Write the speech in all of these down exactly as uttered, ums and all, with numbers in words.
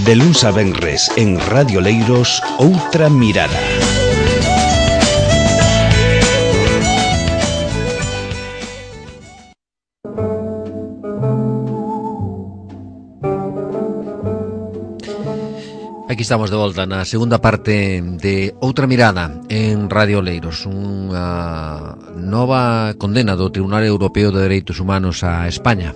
De luns a venres en Radio Leiros, Outra Mirada. Aquí estamos de volta na segunda parte de Outra Mirada en Radio Leiros, unha nova condena do Tribunal Europeo de Dereitos Humanos a España,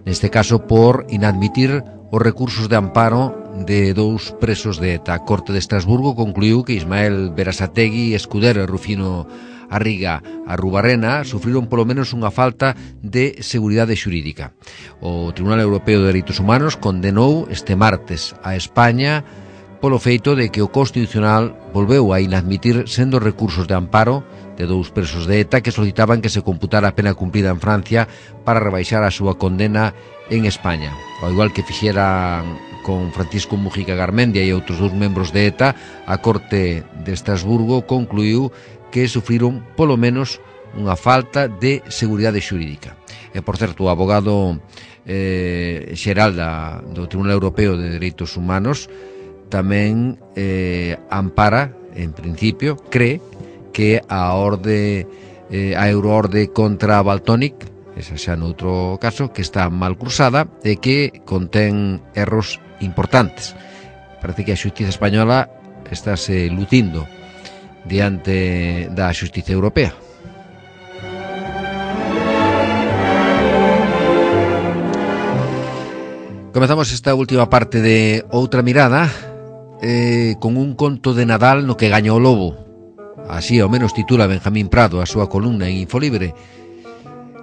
neste caso por inadmitir os recursos de amparo de dous presos de ETA. A Corte de Estrasburgo concluiu que Ismael Berasategui, Escuder e Rufino Arriga Arrubarrena sufriron polo menos unha falta de seguridade xurídica. O Tribunal Europeo de Dereitos Humanos condenou este martes a España polo feito de que o Constitucional volveu a inadmitir sendo recursos de amparo de dous presos de ETA que solicitaban que se computara a pena cumprida en Francia para rebaixar a súa condena en España. Ao igual que fixeran con Francisco Mujica Garmendia e outros dous membros de ETA, a Corte de Estrasburgo concluiu que sufriron polo menos unha falta de seguridade xurídica. E, por certo, o abogado eh, xeral da, do Tribunal Europeo de Dereitos Humanos tamén eh, ampara, en principio, cree que a orde eh, a euroorde contra Valtònyc, esa xa noutro caso, que está mal cursada e que contén erros importantes. Parece que a xustiza española estáse lucindo diante da xustiza europea. Comezamos esta última parte de Outra Mirada eh, con un conto de Nadal no que gaña o lobo. Así ao menos titula Benjamín Prado a súa columna en Infolibre.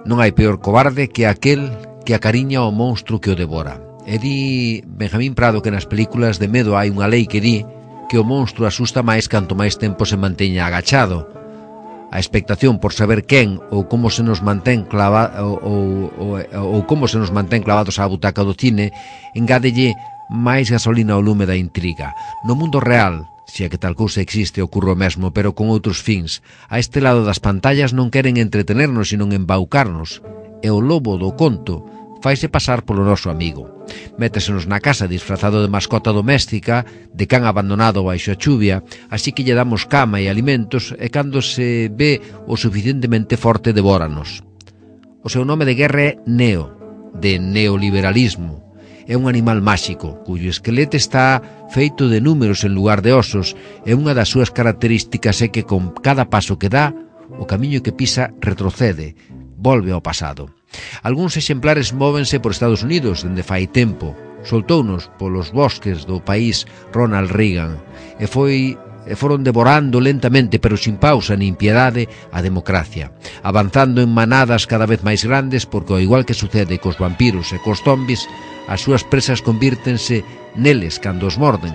Non hai peor cobarde que aquel que acariña ao monstro que o devora. E di Benjamín Prado que nas películas de medo hai unha lei que di que o monstro asusta máis canto máis tempo se manteña agachado. A expectación por saber quen ou como se nos mantén clava, ou, ou, ou, ou como se nos mantén clavados á butaca do cine engádelle máis gasolina ao lume da intriga. No mundo real, se é que tal cousa existe, ocurre o mesmo, pero con outros fins. A este lado das pantallas non queren entretenernos, sino embaucarnos. E o lobo do conto faise pasar polo noso amigo. Métesenos na casa disfrazado de mascota doméstica, de can abandonado baixo a chuvia, así que lle damos cama e alimentos, e cando se ve o suficientemente forte devóranos. O seu nome de guerra é Neo, de neoliberalismo. É un animal máxico, cuyo esqueleto está feito de números en lugar de osos, e unha das súas características é que con cada paso que dá, o camiño que pisa retrocede, volve ao pasado. Algúns exemplares móvense por Estados Unidos dende fai tempo. Soltounos polos bosques do país Ronald Reagan e foi e foron devorando lentamente, pero sin pausa nin piedade, a democracia, avanzando en manadas cada vez máis grandes, porque ao igual que sucede cos vampiros e cos zombis, as súas presas convírtense neles cando os morden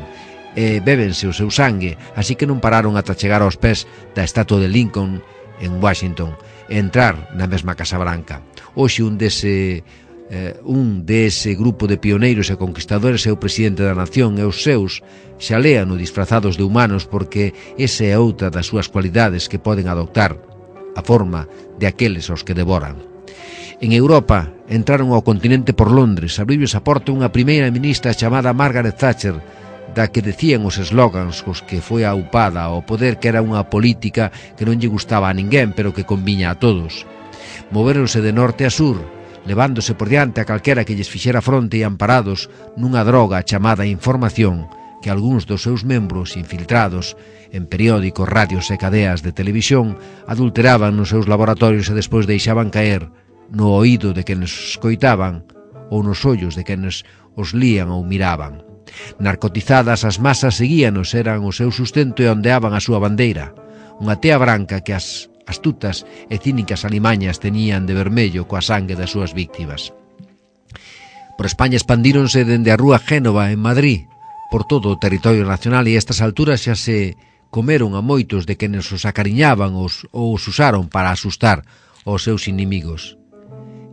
e bébense o seu sangue, así que non pararon ata chegar aos pés da estatua de Lincoln en Washington e entrar na mesma Casa Branca. Hoxe un dese eh, un dese grupo de pioneiros e conquistadores é o presidente da nación e os seus xa lean o disfrazados de humanos, porque esa é outra das súas cualidades, que poden adoptar a forma de aqueles aos que devoran. En Europa entraron ao continente por Londres, abriu a porta unha primeira ministra chamada Margaret Thatcher, da que decían os eslogans cos que foi aupada ao poder que era unha política que non lle gustaba a ninguén, pero que conviña a todos. Moveronse de norte a sur, levándose por diante a calquera que lles fixera fronte e amparados nunha droga chamada información, que algúns dos seus membros infiltrados en periódicos, radios e cadeas de televisión adulteraban nos seus laboratorios e despois deixaban caer no oído de quenes escoitaban ou nos ollos de quenes os lían ou miraban. Narcotizadas, as masas seguíanos, eran o seu sustento e ondeaban a súa bandeira, unha tea branca que as astutas e cínicas alimañas tenían de vermello coa sangue das súas víctimas. Por España expandíronse dende a rúa Génova en Madrid, por todo o territorio nacional, e a estas alturas xa se comeron a moitos de quenes os acariñaban os, ou os usaron para asustar aos seus inimigos.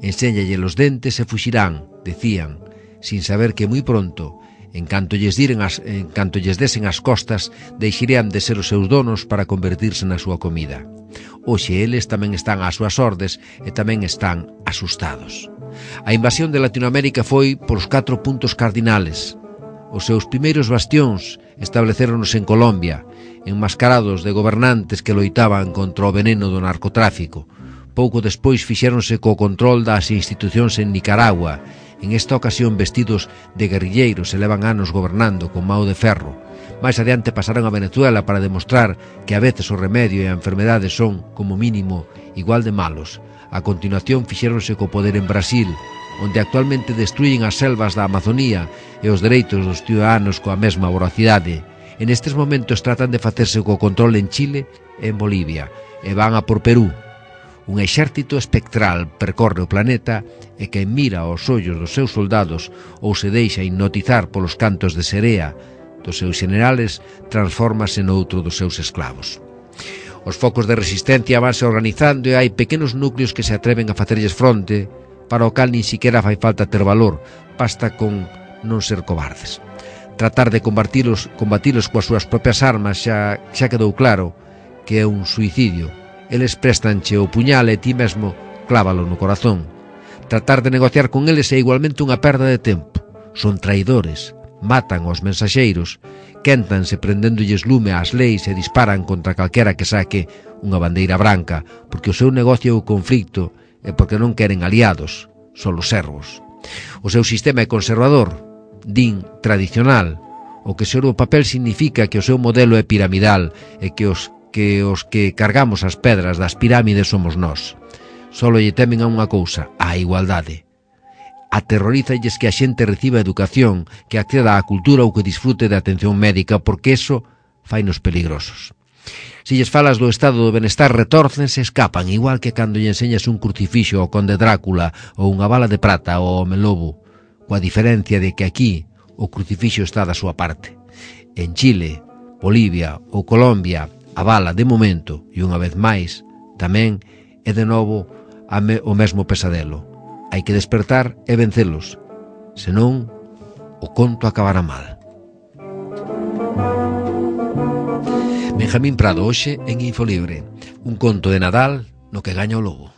Enséñalle los dentes e fuxirán, decían, sin saber que moi pronto, en canto lles diren as, en canto lles desen as costas, deixarían de ser os seus donos para convertirse na súa comida. Hoxe eles tamén están ás súas ordes e tamén están asustados. A invasión de Latinoamérica foi por os catro puntos cardinales: Os seus primeiros bastións establecéronos en Colombia, enmascarados de gobernantes que loitaban contra o veneno do narcotráfico. Pouco despois fixéronse co control das institucións en Nicaragua, en esta ocasión vestidos de guerrilleiros e levan anos gobernando con mao de ferro. Mais adiante pasaron a Venezuela para demostrar que a veces o remedio e a enfermedade son, como mínimo, igual de malos. A continuación fixéronse co poder en Brasil, onde actualmente destruyen as selvas da Amazonía e os dereitos dos ciudadanos coa mesma voracidade. En estes momentos tratan de facerse co control en Chile e en Bolivia, e van a por Perú. Un exército espectral percorre o planeta e quen mira aos ollos dos seus soldados ou se deixa hipnotizar polos cantos de serea dos seus generales, transfórmase noutro dos seus esclavos. Os focos de resistencia vanse organizando e hai pequenos núcleos que se atreven a facerlles fronte, para o cal nin siquiera fai falta ter valor, basta con non ser cobardes. Tratar de combatilos, combatilos coas súas propias armas xa, xa quedou claro que é un suicidio. Eles prestanche o puñal e ti mesmo clávalo no corazón. Tratar de negociar con eles é igualmente unha perda de tempo. Son traidores, matan aos mensaxeiros, quéntanse prendéndolles lume ás leis e disparan contra calquera que saque unha bandeira branca, porque o seu negocio é o conflicto e porque non queren aliados, son os servos. O seu sistema é conservador, din tradicional, o que sobre o papel significa que o seu modelo é piramidal e que os que os que cargamos as pedras das pirámides somos nós. Solo lle temen a unha cousa, a igualdade. Aterrorízalles que a xente reciba educación, que acceda á cultura ou que disfrute de atención médica, porque eso fainos peligrosos. Se lles falas do estado do benestar, retórcense e escapan, igual que cando lle enseñas un crucifixo ao conde Drácula ou unha bala de prata ao home lobo, coa diferencia de que aquí o crucifixo está da súa parte. En Chile, Bolivia ou Colombia, a bala, de momento, e unha vez máis, tamén é de novo o mesmo pesadelo. Hai que despertar e vencelos, senón o conto acabará mal. Benjamín Prado, hoxe en Infolibre, un conto de Nadal no que gaña o lobo.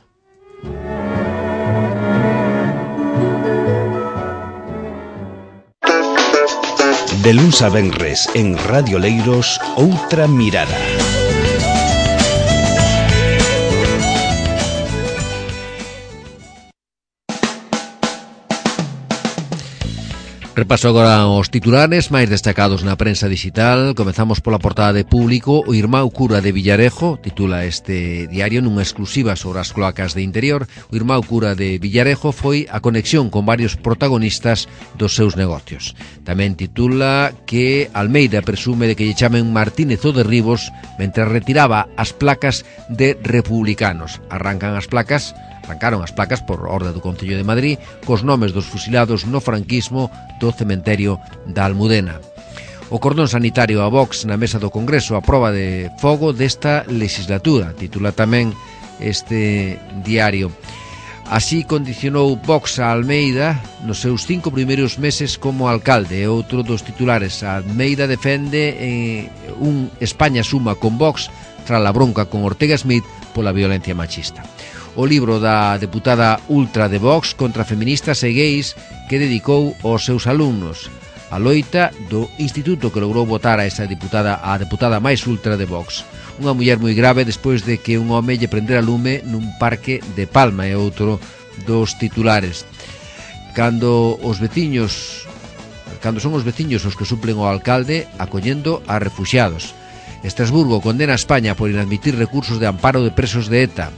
De luns a venres en Radio Leiros, Outra Mirada. Repaso agora os titulares máis destacados na prensa digital. Comezamos pola portada de Público. O irmão cura de Villarejo, titula este diario nunha exclusiva sobre as cloacas de interior. O irmão cura de Villarejo foi a conexión con varios protagonistas dos seus negocios. Tamén titula que Almeida presume de que lle chamen Martínez o de Ribos mentre retiraba as placas de republicanos. Arrancan as placas Arrancaron as placas por orde do Concello de Madrid cos nomes dos fusilados no franquismo do cementerio da Almudena. O cordón sanitario a Vox na mesa do Congreso a proba de fogo desta legislatura, titula tamén este diario. Así condicionou Vox a Almeida nos seus cinco primeiros meses como alcalde. Outro dos titulares, Almeida defende eh, un España suma con Vox tras a bronca con Ortega Smith pola violencia machista. O libro da deputada ultra de Vox contra feministas e gays que dedicou aos seus alumnos. A loita do instituto que logrou votar a esa deputada, a deputada máis ultra de Vox. Unha muller moi grave despois de que un home lle prendera lume nun parque de Palma, é outro dos titulares. Cando os veciños, cando son os veciños os que suplen ao alcalde acollendo a refuxiados. Estrasburgo condena a España por inadmitir recursos de amparo de presos de ETA.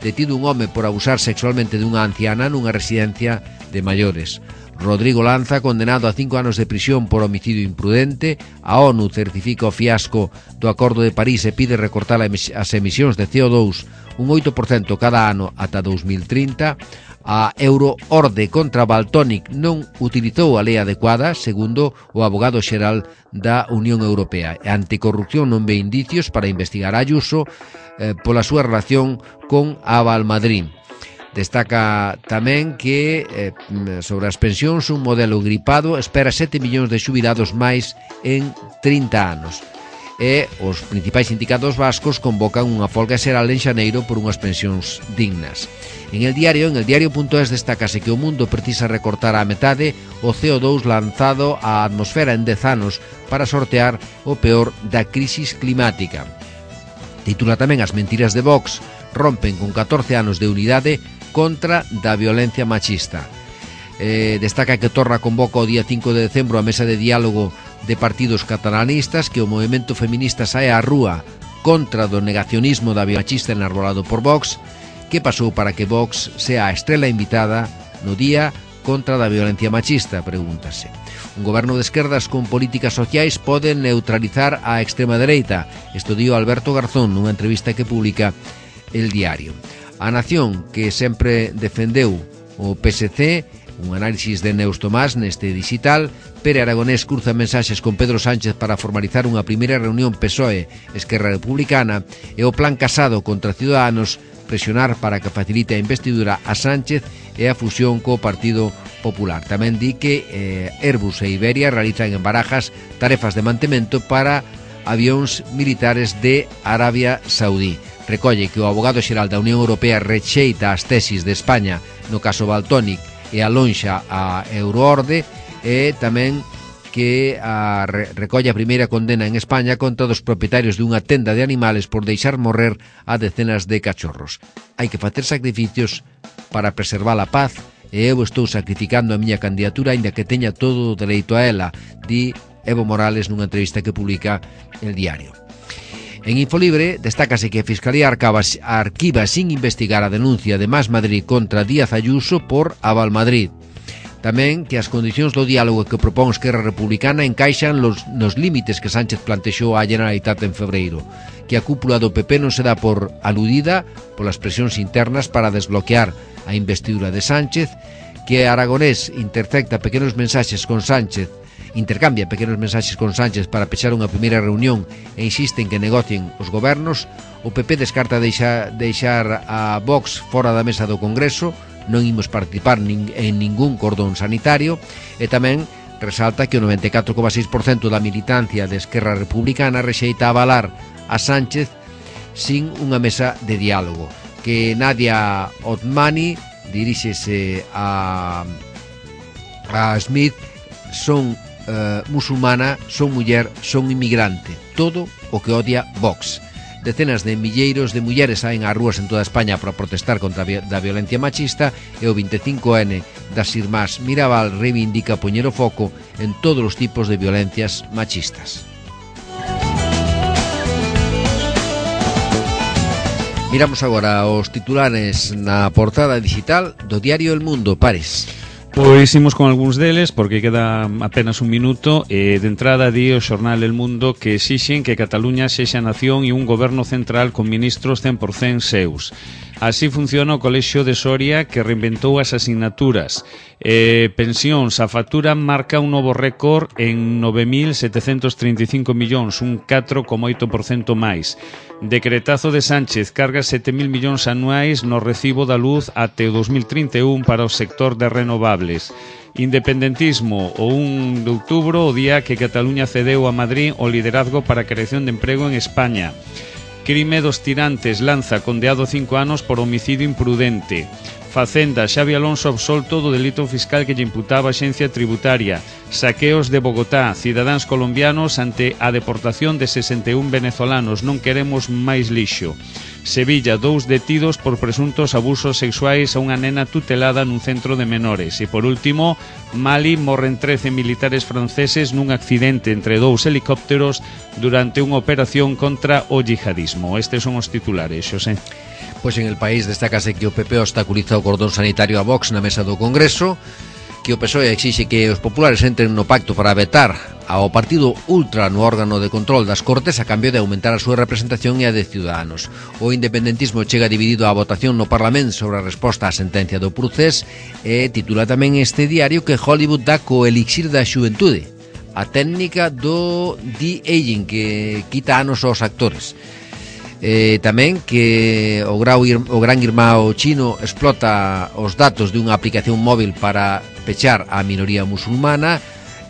Detido un home por abusar sexualmente dunha anciana nunha residencia de maiores. Rodrigo Lanza, condenado a cinco anos de prisión por homicidio imprudente. A ONU certifica o fiasco do Acordo de París e pide recortar as emisións de C O dous un oito por cento cada ano ata dos mil trinta. A Euroorde contra Valtonic non utilizou a lei adecuada, segundo o abogado xeral da Unión Europea. A Anticorrupción non ve indicios para investigar a Ayuso eh, pola súa relación con a Valmadrid. Destaca tamén que eh, sobre as pensións un modelo gripado espera sete millóns de xubilados máis en trinta anos. E os principais sindicatos vascos convocan unha folga xeral en xaneiro por unhas pensións dignas. En el diario, en el diario.es destácase que o mundo precisa recortar a metade o C O dous lanzado á atmosfera en dez anos para sortear o peor da crisis climática. Titula tamén As mentiras de Vox rompen con catorce anos de unidade contra da violencia machista. Eh, destaca que Torra convoca o día cinco de decembro a mesa de diálogo de partidos catalanistas, que o movemento feminista sae á rúa contra do negacionismo da violencia machista enarbolado por Vox. Que pasou para que Vox sea a estrela invitada no día contra da violencia machista, pregúntase. Un goberno de esquerdas con políticas sociais pode neutralizar a extrema dereita. Isto dio Alberto Garzón nunha entrevista que publica El Diario. A Nación, que sempre defendeu o P S C, un análisis de Neus Tomás neste digital. Pere Aragonés cruza mensaxes con Pedro Sánchez para formalizar unha primeira reunión P S O E Esquerra Republicana, e o plan Casado contra Ciudadanos presionar para que facilite a investidura a Sánchez e a fusión co Partido Popular. Tamén di que eh, Airbus e Iberia realizan en Barajas tarefas de mantemento para avións militares de Arabia Saudí. Recolle que o abogado xeral da Unión Europea rexeita as tesis de España no caso Valtonic e alonxa a Euroorde, e tamén que a, re, recolle a primeira condena en España contra dos propietarios dunha tenda de animales por deixar morrer a decenas de cachorros. Hai que facer sacrificios para preservar a paz, e eu estou sacrificando a miña candidatura aínda que teña todo o dereito a ela, di Evo Morales nunha entrevista que publica El Diario. En Infolibre destácase que a Fiscalía arquiva, arquiva sin investigar a denuncia de Más Madrid contra Díaz Ayuso por Aval Madrid. Tamén que as condicións do diálogo que propón Esquerra Republicana encaixan los, nos límites que Sánchez plantexou á Generalitat en febreiro, que a cúpula do P P non se dá por aludida polas presións internas para desbloquear a investidura de Sánchez, que Aragonés intercepta pequenos mensaxes con Sánchez, intercambia pequenos mensaxes con Sánchez para pechar unha primeira reunión e insiste en que negocien os gobernos. O P P descarta deixar, deixar a Vox fora da mesa do Congreso, non imos participar nin, en ningún cordón sanitario, e tamén resalta que o noventa e catro coma seis por cento da militancia de Esquerra Republicana rexeita avalar a Sánchez sin unha mesa de diálogo. Que Nadia Otmani diríxese a, a Smith, son uh, musulmana, son muller, son inmigrante, todo o que odia Vox. Decenas de milleiros de mulleres saen ás rúas en toda España para protestar contra a violencia machista, e o vinte e cinco ene das Irmás Mirabal reivindica poñer o foco en todos os tipos de violencias machistas. Miramos agora os titulares na portada digital do diario El Mundo. Pares. Pois imos con algúns deles, porque queda apenas un minuto. E de entrada di o xornal El Mundo que exixen que Cataluña sexa nación e un goberno central con ministros cen por cento seus. Así funciona o Colexio de Soria, que reinventou as asignaturas. Eh, pensións, a factura marca un novo récord en nove mil setecentos trinta e cinco millóns, un catro coma oito por cento máis. Decretazo de Sánchez, carga sete mil millóns anuais no recibo da luz até o dos mil trinta e un para o sector de renovables. Independentismo, o un de outubro, o día que Cataluña cedeu a Madrid o liderazgo para a creación de emprego en España. Crime dos tirantes, Lanza condeado cinco anos por homicidio imprudente. Facenda, Xavi Alonso absolto do delito fiscal que lle imputaba a Axencia Tributaria. Saqueos de Bogotá, cidadáns colombianos ante a deportación de sesenta e un venezolanos. Non queremos máis lixo. Sevilla, dous detidos por presuntos abusos sexuais a unha nena tutelada nun centro de menores. E por último, Mali, morren trece militares franceses nun accidente entre dous helicópteros durante unha operación contra o yihadismo. Estes son os titulares, Xosé. Pois en El País destácase que o P P obstaculiza o cordón sanitario a Vox na mesa do Congreso, que o P S O E exixe que os populares entren no pacto para vetar ao partido ultra no órgano de control das Cortes a cambio de aumentar a súa representación e a de Ciudadanos. O independentismo chega dividido á votación no Parlamento sobre a resposta á sentencia do Procés, e titula tamén este diario que Hollywood dá co elixir da xuventude, a técnica do de-aging que quita anos aos actores. Eh, tamén que o, grau, o gran irmão chino explota os datos dunha aplicación móvil para pechar a minoría musulmana.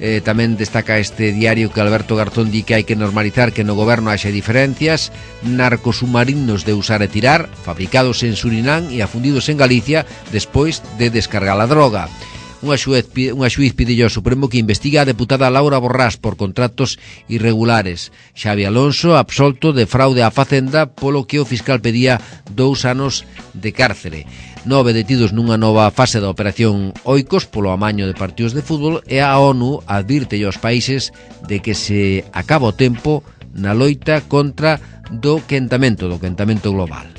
Eh, tamén destaca este diario que Alberto Garzón di que hai que normalizar que no goberno haxe diferencias, narcos submarinos de usar e tirar, fabricados en Surinam e afundidos en Galicia despois de descargar a droga. Unha xuez, unha xuiz pidillo ao Supremo que investiga a deputada Laura Borrás por contratos irregulares. Xavi Alonso absolto de fraude á Facenda polo que o fiscal pedía dous anos de cárcere. Nove detidos nunha nova fase da operación Oikos polo amaño de partidos de fútbol e a ONU advirte aos países de que se acaba o tempo na loita contra do quentamento, do quentamento global.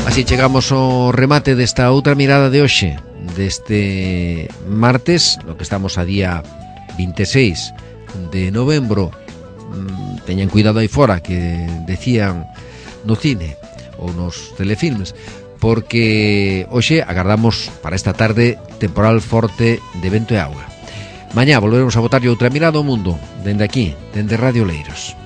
Así chegamos ao remate desta outra mirada de hoxe, deste martes, no que estamos a día vinte e seis de novembro. Teñan cuidado aí fora que decían no cine ou nos telefilmes, porque hoxe agardamos para esta tarde temporal forte de vento e auga. Mañá volveremos a botarlle outra mirada ao mundo, dende aquí, dende Radio Leiros.